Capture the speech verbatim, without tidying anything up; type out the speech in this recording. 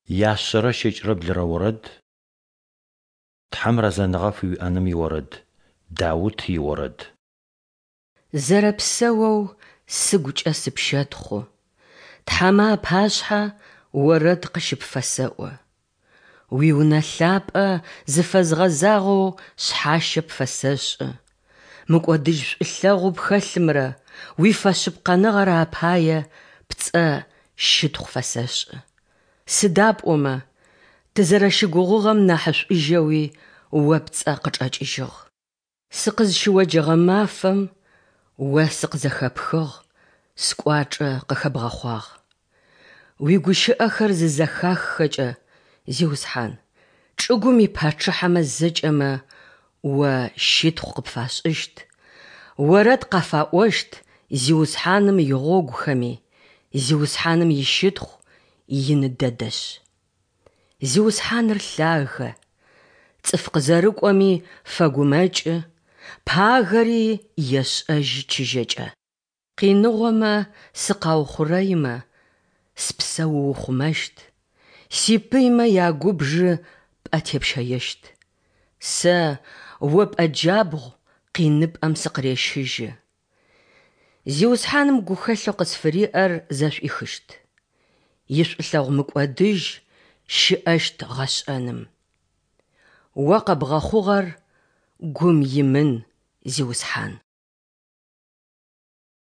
Яшъэрэ щэкӏрэ блырэ орэд. Тхьэм рэзэныгъэ фыуиӏэным иорэд. Даут иорэд. Зэрэпсэоу сыгукӏэ сыпщэтхъу, тхьэмэ апашъхьэ орэд къыщыпфэсэӏо. Уи Унэ лъапӏэ зыфэзгъэзагъэу шъхьащэ пфэсэшӏы, мыкӏодыжь шӏулъэгъоу пхэлъымрэ уифэшъыпкъэныгъэрэ апае пцӏэ щытхъу фэсэшӏы. Сыда пӏомэ тызэрэщыгугъыгъэм нахьышӏужьэуи О пцӏэ къычӏэкӏыжьыгъ. Сыкъызщыоджэгъэ мафэм О сыкъызэхэпхыгъ, скӏуачӏэ къыхэбгъэхъуагъ. Уигущыӏэхэр зызэхаххэкӏэ, Зиусхьан, чӏыгум ипачъыхьэмэ зэкӏэмэ О щытхъу къыпфашӏыщт, орэд къафаӏощт Зиусхьаным игъогухэми, Зиусхьаным ищытхъу ины дэдэшъ. Зиусхьаныр лъагэ, цӏыф къызэрыкӏоми фэгумэкӏы, пагэри ешӏэжьы чыжьэкӏэ. Къиныгъомэ сыкъаухъурэимэ, спсэ уухъумэщт, сипыймэ ягубжы пӏэ тепщэещт. Сэ О пӏэ джабгъу къиныпӏэм сыкъырещыжьы. Зиусхьаным гухэлъэу къысфыриӏэр зэшӏуихыщт, ишӏулъэгъу мыкӏодыжь щыӏэщт гъэшӏэным. О къэбгъэхъугъэр гум имын, Зиусхьан.